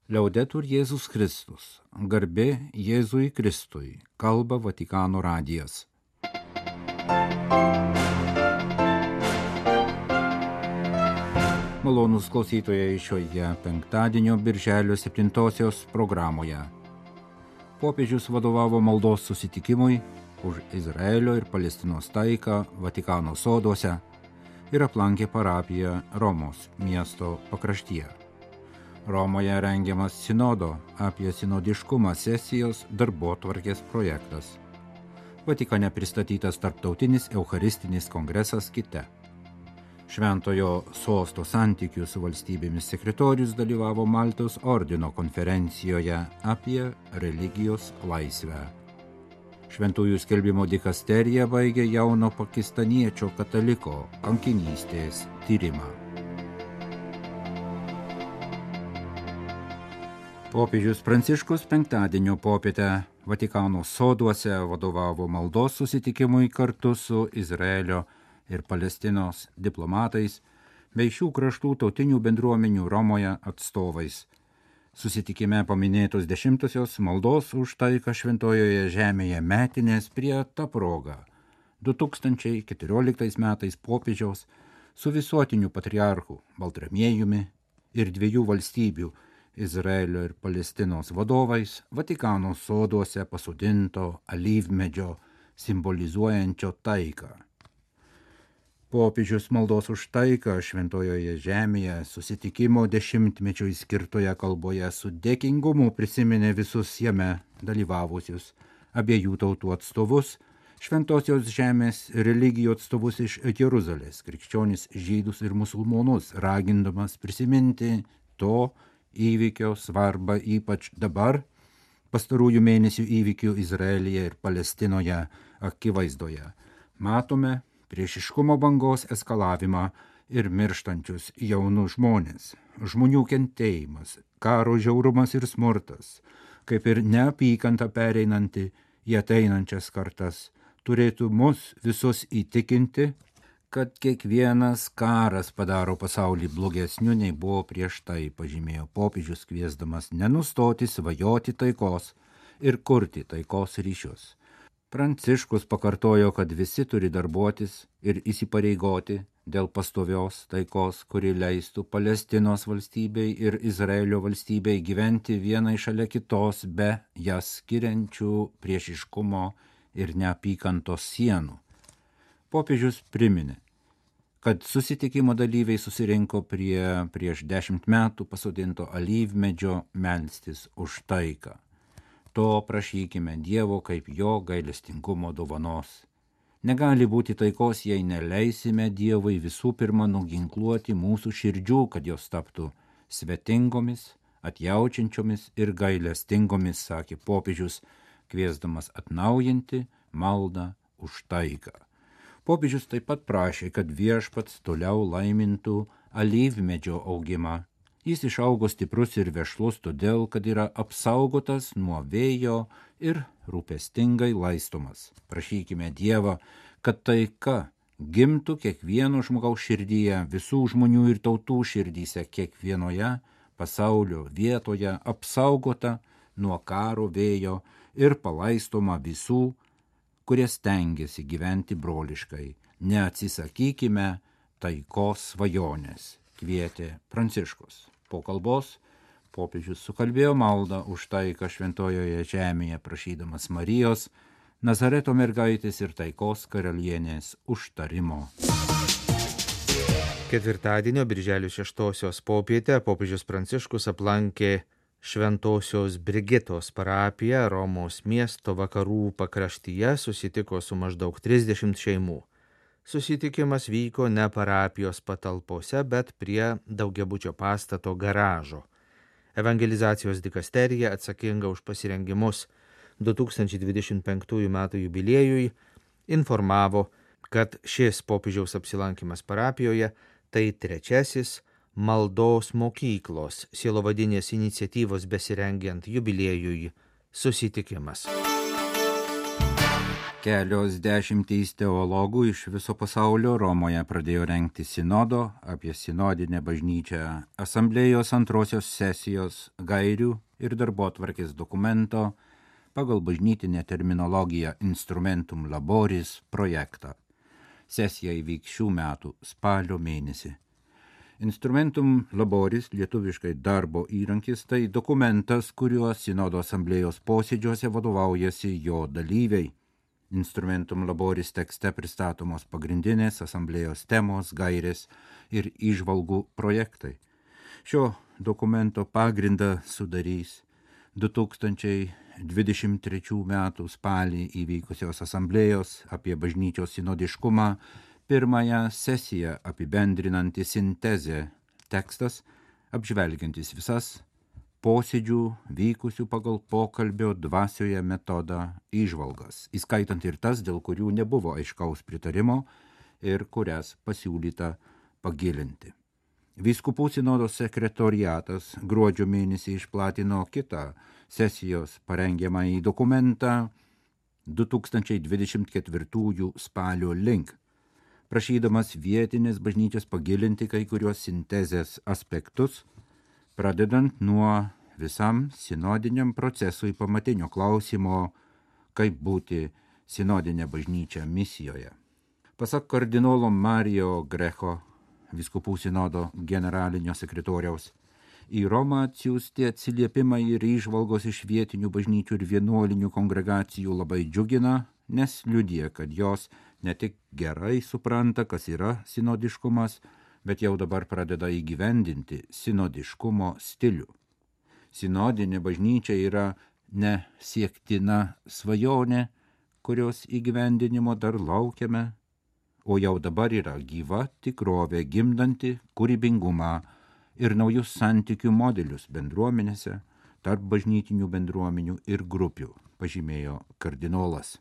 Liaudetur Jėzus Kristus, garbė Jėzui Kristui, kalba Vatikano radijas. Malonūs klausytojai šioje penktadienio birželio 7 programoje. Popiežius vadovavo maldos susitikimui už Izraelio ir Palestinos taiką Vatikano soduose ir aplankė parapiją Romos miesto pakraštyje. Romoje rengiamas sinodo apie sinodiškumą sesijos darbotvarkės projektas. Vatikane pristatytas tarptautinis eucharistinis kongresas Kite. Šventojo sosto santykių su valstybėmis sekretorius dalyvavo Maltos ordino konferencijoje apie religijos laisvę. Šventųjų skelbimo dikasterija baigė jauno pakistaniečio kataliko kankinystės tyrimą. Popiežius Pranciškus penktadienio popietę Vatikano soduose vadovavo maldos susitikimui kartu su Izraelio ir Palestinos diplomatais bei šių kraštų tautinių bendruomenių Romoje atstovais. Susitikime paminėtos 10-osios maldos už taiką šventojoje žemėje metinės prie ta proga 2014 metais popiežiaus su visuotiniu patriarchu Baltramiejumi ir 2 valstybių Izraelio ir Palestinos vadovais Vatikano soduose pasodinto alyvmedžio simbolizuojančio taiką. Popiežius maldos už taiką šventojoje žemėje susitikimo 10-mečiui skirtoje kalboje su dėkingumu prisiminė visus jame dalyvavusius abiejų tautų atstovus, šventosios žemės religijų atstovus iš Jeruzalės, krikščionis, žydus ir musulmonus, ragindamas prisiminti to įvykio svarbą ypač dabar, pastarųjų mėnesių įvykių Izraelyje ir Palestinoje akivaizdoje. Matome priešiškumo bangos eskalavimą ir mirštančius jaunus žmonės, žmonių kentėjimas, karo žiaurumas ir smurtas, kaip ir neapykanta pereinanti į ateinančias kartas, turėtų mus visus įtikinti, kad kiekvienas karas padaro pasaulį blogesniu nei buvo prieš tai, pažymėjo popiežius, kviesdamas nenustoti svajoti taikos ir kurti taikos ryšius. Pranciškus pakartojo, kad visi turi darbuotis ir įsipareigoti dėl pastovios taikos, kuri leistų Palestinos valstybei ir Izraelio valstybei gyventi vienai šalia kitos be jas skiriančių priešiškumo ir neapykantos sienų. Popiežius priminė, kad susitikimo dalyviai susirinko prie prieš 10 metų pasodinto alyvmedžio melstis už taiką. To prašykime Dievo kaip jo gailestingumo dovanos. Negali būti taikos, jei neleisime Dievui visų pirma nuginkluoti mūsų širdžių, kad jos taptų svetingomis, atjaučiančiomis ir gailestingomis, sakė popiežius, kviesdamas atnaujinti maldą už taiką. Popiežius taip pat prašė, kad viešpats toliau laimintų alyvmedžio augimą. Jis išaugo stiprus ir vešlus todėl, kad yra apsaugotas nuo vėjo ir rūpestingai laistomas. Prašykime Dievą, kad taika gimtų kiekvieno žmogaus širdyje, visų žmonių ir tautų širdyse, kiekvienoje pasaulio vietoje apsaugota nuo karo vėjo ir palaistoma visų, kurie stengiasi gyventi broliškai. Neatsisakykime taikos svajonės, kvietė Pranciškus. Po kalbos popiežius sukalbėjo maldą už taiką šventojoje žemėje, prašydamas Marijos, Nazareto mergaitės ir taikos karalienės užtarimo. Ketvirtadienio birželio 6 popietę popiežius Pranciškus aplankė Šventosios Brigitos parapiją Romos miesto vakarų pakraštyje, susitiko su maždaug 30 šeimų. Susitikimas vyko ne parapijos patalpose, bet prie daugiabučio pastato garažo. Evangelizacijos dikasterija, atsakinga už pasirengimus 2025 m. jubiliejui, informavo, kad šis popiežiaus apsilankimas parapijoje tai 3. maldos mokyklos sielovadinės iniciatyvos besirengiant jubiliejui susitikimas. Kelios dešimtys teologų iš viso pasaulio Romoje pradėjo rengti sinodo apie sinodinę bažnyčią asamblėjos antrosios sesijos gairių ir darbotvarkės dokumento pagal bažnytinę terminologiją Instrumentum Laboris projektą. Sesija įvyks šių metų spalio mėnesį. Instrumentum Laboris, lietuviškai darbo įrankis, tai dokumentas, kuriuo sinodo asamblėjos posėdžiuose vadovaujasi jo dalyviai. Instrumentum Laboris tekste pristatomos pagrindinės asamblėjos temos, gairės ir įžvalgų projektai. Šio dokumento pagrindą sudarys 2023 metų spalį įvykusios asamblėjos apie bažnyčios sinodiškumą pirmąją sesiją apibendrinanti sintezė tekstas, apžvelgiantis visas posėdžių vykusių pagal pokalbio dvasioje metodą įžvalgas, įskaitant ir tas, dėl kurių nebuvo aiškaus pritarimo ir kurias pasiūlyta pagilinti. Vyskupų sinodo sekretoriatas gruodžio mėnesį išplatino kitą sesijos parengiamąjį dokumentą 2024 spalio link, prašydamas vietinės bažnyčios pagilinti kai kurios sintezės aspektus, pradedant nuo visam sinodiniam procesui pamatinio klausimo, kaip būti sinodinė bažnyčia misijoje. Pasak kardinolo Mario Greco, vyskupų sinodo generalinio sekretoriaus, į Romą atsiųsti atsiliepimai ir įžvalgos iš vietinių bažnyčių ir vienuolinių kongregacijų labai džiugina, nes liudija, kad jos ne tik gerai supranta, kas yra sinodiškumas, bet jau dabar pradeda įgyvendinti sinodiškumo stilių. Sinodinė bažnyčia yra ne siektina svajonė, kurios įgyvendinimo dar laukiame, o jau dabar yra gyva tikrovė gimdanti kūrybingumą ir naujus santykių modelius bendruomenėse, tarp bažnytinių bendruomenių ir grupių, pažymėjo kardinolas.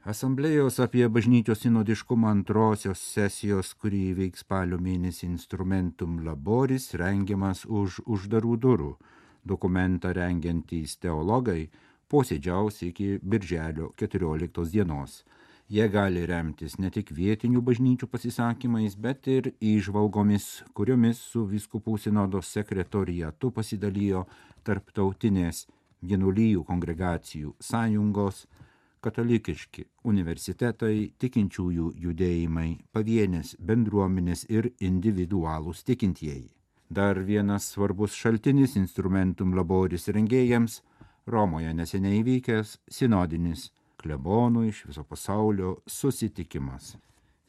Asamblėjos apie bažnyčios sinodiškumą antrosios sesijos, kuri įvyks spalio mėnesį Instrumentum Laboris, rengiamas už uždarų durų. Dokumentą rengiantys teologai posėdžiaus iki birželio 14 dienos. Jie gali remtis ne tik vietinių bažnyčių pasisakymais, bet ir įžvalgomis, kuriomis su vyskupų sinodo sekretoriatu pasidalijo tarptautinės vienuolijų kongregacijų sąjungos, katalikiški universitetai, tikinčiųjų judėjimai, pavienės bendruomenės ir individualūs tikintieji. Dar vienas svarbus šaltinis Instrumentum Laboris rengėjams Romoje neseniai įvykęs sinodinis klebonų iš viso pasaulio susitikimas.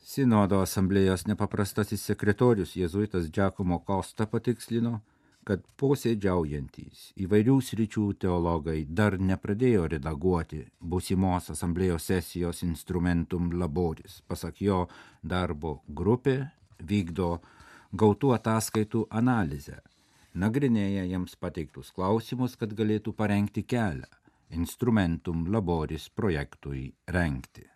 Sinodo asamblėjos nepaprastasis sekretorius jėzuitas Giacomo Costa patikslino, kad posėdžiaujantys įvairių sričių teologai dar nepradėjo redaguoti būsimos asamblėjos sesijos Instrumentum Laboris. Pasak jo, darbo grupė vykdo gautų ataskaitų analizę, nagrinėja jiems pateiktus klausimus, kad galėtų parengti kelią Instrumentum Laboris projektui rengti.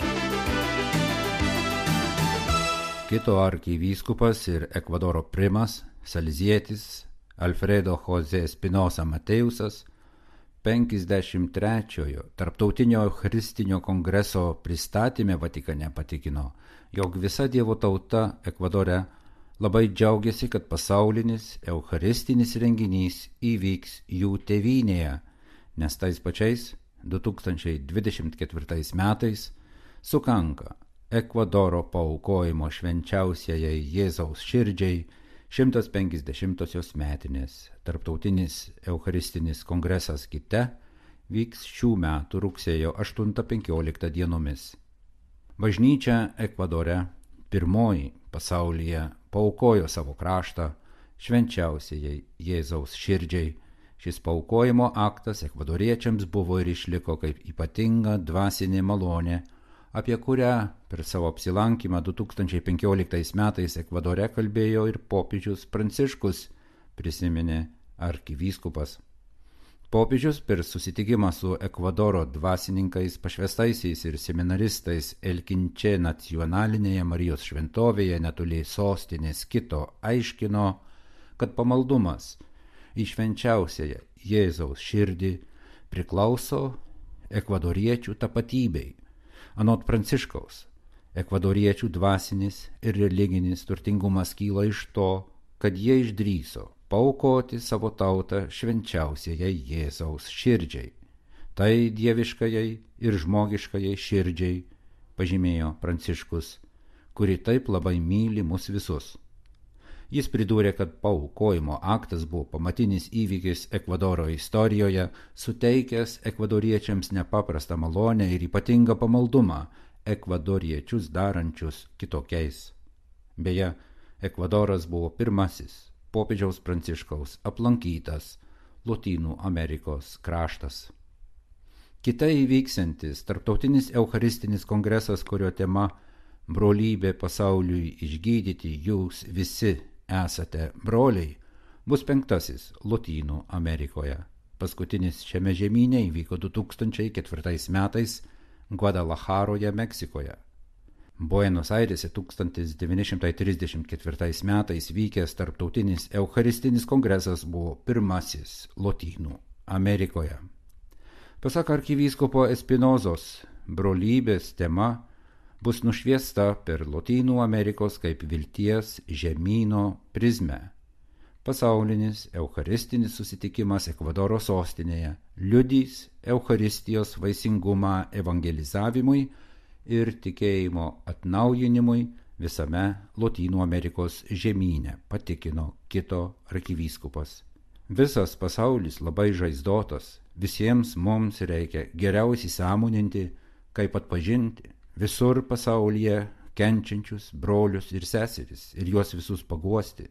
Kito arkivyskupas ir Ekvadoro primas, salezietis Alfredo José Espinosa Mateusas 53-ojo Tarptautinio Eucharistinio kongreso pristatyme Vatikane patikino, jog visa Dievo tauta Ekvadore labai džiaugiasi, kad pasaulinis eucharistinis renginys įvyks jų tėvynėje, nes tais pačiais 2024 metais sukanka Ekvadoro paaukojimo švenčiausiajai Jėzaus širdžiai 150-osios metinės. Tarptautinis eucharistinis kongresas Kite vyks šių metų rugsėjo 8-15 dienomis. Bažnyčia Ekvadore pirmoji pasaulyje paaukojo savo kraštą švenčiausiajai Jėzaus širdžiai. Šis paaukojimo aktas ekvadoriečiams buvo ir išliko kaip ypatinga dvasinė malonė, apie kurią per savo apsilankymą 2015 metais Ekvadore kalbėjo ir popiežius Pranciškus, prisiminė arkivyskupas. Popiežius per susitikimą su Ekvadoro dvasininkais, pašvestaisiais ir seminaristais Elkinče nacionalinėje Marijos šventovėje netoli sostinės Kito aiškino, kad pamaldumas į švenčiausiąją Jėzaus širdį priklauso ekvadoriečių tapatybei. Anot Pranciškaus, ekvadoriečių dvasinis ir religinis turtingumas kyla iš to, kad jie išdrįso paaukoti savo tautą švenčiausiajai Jėzaus širdžiai. Tai dieviškajai ir žmogiškajai širdžiai, pažymėjo Pranciškus, kuri taip labai myli mus visus. Jis pridūrė, kad paaukojimo aktas buvo pamatinis įvykis Ekvadoro istorijoje, suteikęs ekvadoriečiams nepaprastą malonę ir ypatingą pamaldumą, ekvadoriečius darančius kitokiais. Beje, Ekvadoras buvo pirmasis popiežiaus Pranciškaus aplankytas Lotynų Amerikos kraštas. Kitai įvyksiantis tarptautinis eucharistinis kongresas, kurio tema brolybė pasauliui išgydyti, jūs visi esate broliai, bus 5. Lotynų Amerikoje. Paskutinis šiame žemyne įvyko 2004 metais Guadalajaroje, Meksikoje. Buenos Airėse 1934 metais vykęs tarptautinis eucharistinis kongresas buvo pirmasis Lotynų Amerikoje. Pasak arkivyskupo Espinozos, brolybės tema bus nušviesta per Lotynų Amerikos kaip vilties žemyno prizmę. Pasaulinis eucharistinis susitikimas Ekvadoro sostinėje liudys eucharistijos vaisingumą evangelizavimui ir tikėjimo atnaujinimui visame Lotynų Amerikos žemyne, patikino kito arkivyskupas. Visas pasaulis labai žaizdotas, visiems mums reikia geriausiai sąmoninti, kaip atpažinti visur pasaulyje kenčiančius brolius ir seseris ir juos visus paguosti.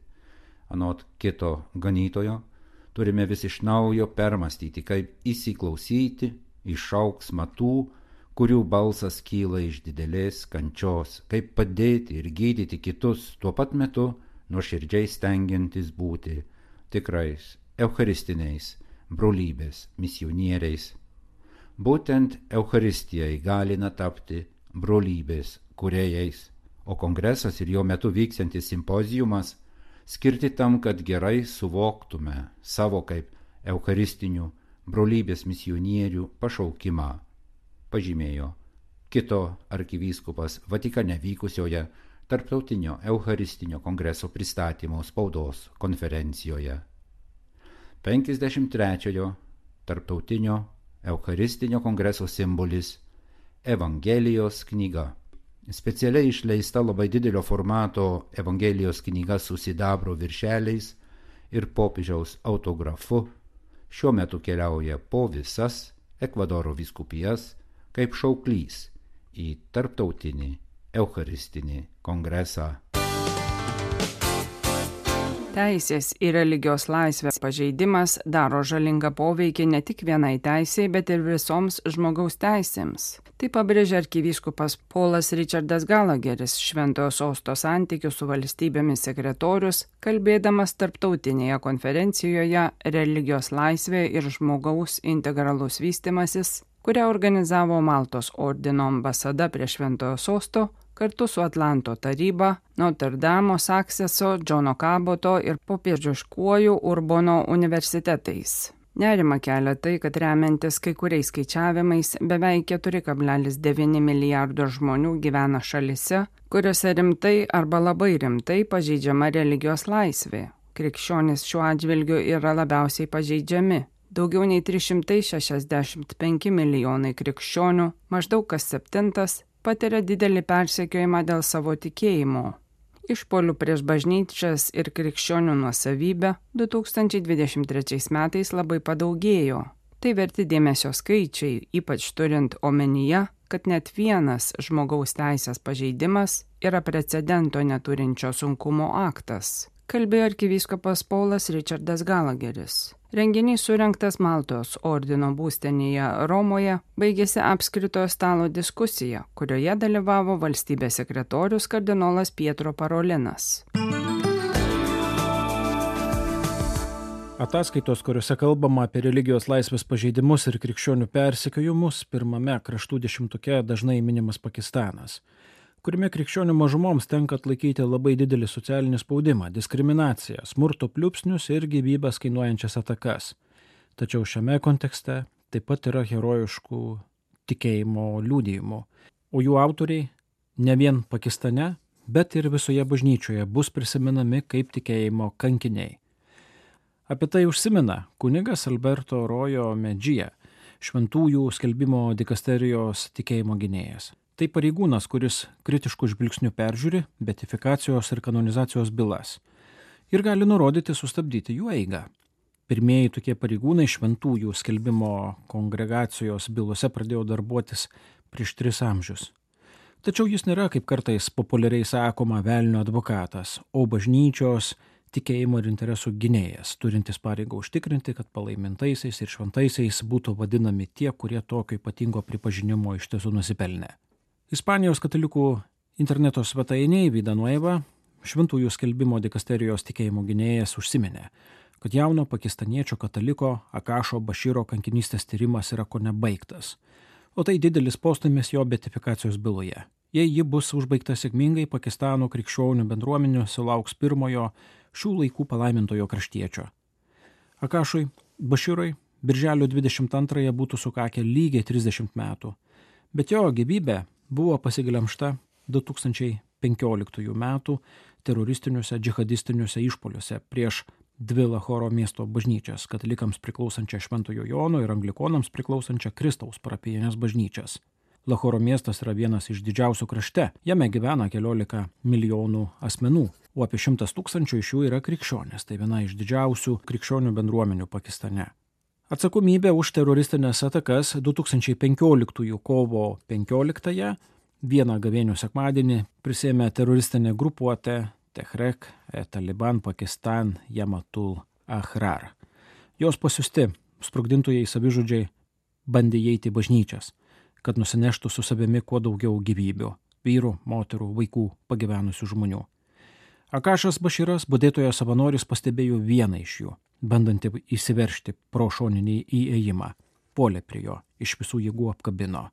Anot kito ganytojo, turime vis iš naujo permastyti, kaip įsiklausyti į šauksmą tų, kurių balsas kyla iš didelės kančios, kaip padėti ir gydyti kitus, tuo pat metu nuoširdžiai stengiantis būti tikrais eucharistiniais brolybės misionieriais. Būtent Eucharistija įgalina tapti brolybės kūrėjais, o kongresas ir jo metu vyksiantis simpozijumas skirti tam, kad gerai suvoktume savo kaip eucharistinių brolybės misionierių pašaukimą, pažymėjo kito arkivyskupas Vatikane vykusioje Tarptautinio Eucharistinio kongreso pristatymo spaudos konferencijoje. 53-ojo Tarptautinio Eucharistinio kongreso simbolis Evangelijos knyga. Specialiai išleista labai didelio formato Evangelijos knyga su sidabro viršeliais ir popiežiaus autografu šiuo metu keliauja po visas Ekvadoro vyskupijas kaip šauklys į Tarptautinį Eucharistinį kongresą. Teisės ir religijos laisvės pažeidimas daro žalingą poveikį ne tik vienai teisei, bet ir visoms žmogaus teisėms. Tai pabrėžia arkivyskupas Paulas Richardas Gallagheris, Šventojo Sosto santykių su valstybėmis sekretorius, kalbėdamas tarptautinėje konferencijoje Religijos laisvė ir žmogaus integralus vystymasis, kurią organizavo Maltos ordino ambasada prie Šventojo Sosto, kartu su Atlanto taryba, Notre Dame, Sakseso, Džono Kaboto ir popiežiškuoju Urbono universitetais. Nerima kelia tai, kad remiantis kai kuriais skaičiavimais beveik 4,9 milijardo žmonių gyvena šalise, kuriuose rimtai arba labai rimtai pažeidžiama religijos laisvė. Krikščionys šiuo atžvilgiu yra labiausiai pažeidžiami. Daugiau nei 365 milijonai krikščionių, maždaug kas 7, patiria didelį persekiojimą dėl savo tikėjimo. Išpuolių prieš bažnyčias ir krikščionių nuosavybę 2023 metais labai padaugėjo. Tai verti dėmesio skaičiai, ypač turint omenyje, kad net vienas žmogaus teisės pažeidimas yra precedento neturinčio sunkumo aktas, kalbėjo arkivyskupas Paulas Richardas Gallagheris. Renginys surengtas Maltos ordino būstinėje Romoje baigėsi apskritojo stalo diskusija, kurioje dalyvavo valstybės sekretorius kardinolas Pietro Parolinas. Ataskaitos, kuriuose kalbama apie religijos laisvės pažeidimus ir krikščionių persekiojimus, pirmame kraštų dešimtuke dažnai minimas Pakistanas, kuriame krikščionių mažumoms tenka atlaikyti labai didelį socialinį spaudimą, diskriminaciją, smurto pliūpsnius ir gyvybės kainuojančias atakas. Tačiau šiame kontekste taip pat yra herojiškų tikėjimo liudijimų. o jų autoriai ne vien Pakistane, bet ir visoje bažnyčioje bus prisimenami kaip tikėjimo kankiniai. Apie tai užsimena kunigas Alberto Rojo Medžija, šventųjų skelbimo dikasterijos tikėjimo gynėjas. Tai pareigūnas, kuris kritiškų žvilgsnių peržiūri beatifikacijos ir kanonizacijos bylas ir gali nurodyti sustabdyti jų eigą. Pirmieji tokie pareigūnai šventųjų skelbimo kongregacijos bylose pradėjo darbuotis prieš 3 amžius. Tačiau jis nėra, kaip kartais populiariai sakoma, velnio advokatas, o bažnyčios tikėjimo ir interesų gynėjas, turintis pareigą užtikrinti, kad palaimintaisiais ir šventaisiais būtų vadinami tie, kurie tokio ypatingo pripažinimo iš tiesų nusipelnė. Ispanijos katalikų interneto svetainėje Vida Nueva šventųjų skelbimo dikasterijos tikėjimo gynėjas užsiminė, kad jauno pakistaniečio kataliko Akašo Baširo kankinystės tyrimas yra kone baigtas, o tai didelis postūmis jo beatifikacijos byloje. Jei ji bus užbaigta sėkmingai, Pakistano krikščionių bendruomenių sulauks pirmojo šių laikų palaimintojo kraštiečio. Akašui Baširui birželio 22 būtų sukakę lygiai 30 metų, bet jo gyvybė buvo pasiglemžta 2015 metų teroristiniuose džihadistiniuose išpoliuose prieš 2 Lahoro miesto bažnyčias, katalikams priklausančią Šventojo Jono ir anglikonams priklausančią Kristaus parapijinės bažnyčias. Lahoro miestas yra vienas iš didžiausių krašte, jame gyvena 14 milijonų asmenų, o apie 100 000 iš jų yra krikščionės, tai viena iš didžiausių krikščionių bendruomenių Pakistane. Atsakomybę už teroristinės atakas 2015 kovo 15 vieną gavėnių sekmadienį prisėmė teroristinė grupuotė Tehrek Taliban Pakistan Jamatul Ahrar. Jos pasiųsti sprogdintojai savižudžiai bandė įeiti į bažnyčias, kad nusineštų su savimi kuo daugiau gyvybių – vyrų, moterų, vaikų, pagyvenusių žmonių. Akašas Baširas, budėtojo savanoris, pastebėjo vieną iš jų, bandantį įsiveržti pro šoninį įėjimą. Puolė prie jo, iš visų jėgų apkabino.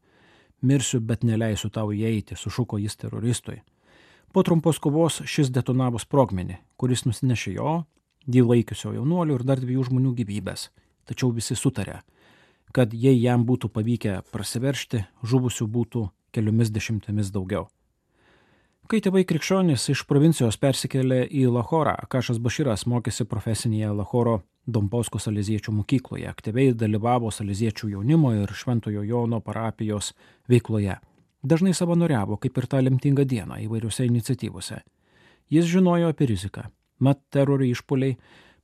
Mirsiu, bet neleisiu tau įeiti, sušuko jis teroristui. Po trumpos kovos šis detonavo sprogmenį, kuris nusinešė jo, jį laikiusio jaunuolio ir dar 2 žmonių gyvybės. Tačiau visi sutarė, kad jei jam būtų pavykę prasiveržti, žuvusių būtų keliomis dešimtimis daugiau. Kai tėvai krikščionys iš provincijos persikėlė į Lahorą, Akašas Baširas mokėsi profesinėje Lahoro Domposko saleziečių mokykloje, aktyviai dalyvavo saleziečių jaunimo ir Šventojo Jono parapijos veikloje. Dažnai savanoriavo, kaip ir tą lemtingą dieną, įvairiuose iniciatyvose. Jis žinojo apie riziką. Mat teroro išpuoliai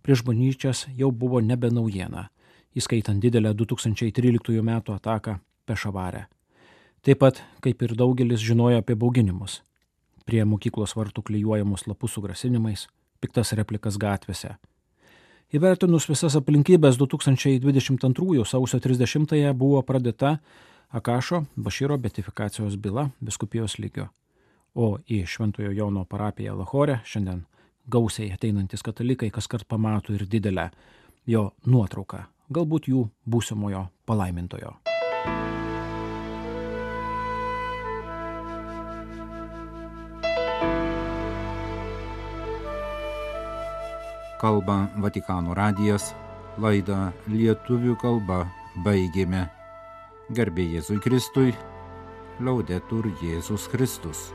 prieš bažnyčias jau buvo nebe naujiena, įskaitant didelę 2013 metų ataką Pešavare. Taip pat, kaip ir daugelis, žinojo apie bauginimus. Prie mokyklos vartų klijuojamus lapus su grasinimais, piktas replikas gatvėse. Įvertinus visas aplinkybės 2022 sausio 30 buvo pradėta Akašo Baširo beatifikacijos byla vyskupijos lygiu. O į Šventojo Jono parapiją Lahore šiandien gausiai ateinantis katalikai kaskart pamato ir didelę jo nuotrauką, galbūt jų būsimojo palaimintojo. Kalba Vatikano radijas, laidą lietuvių kalba baigėme. Garbė Jėzui Kristui, Laudetur Jėzus Kristus.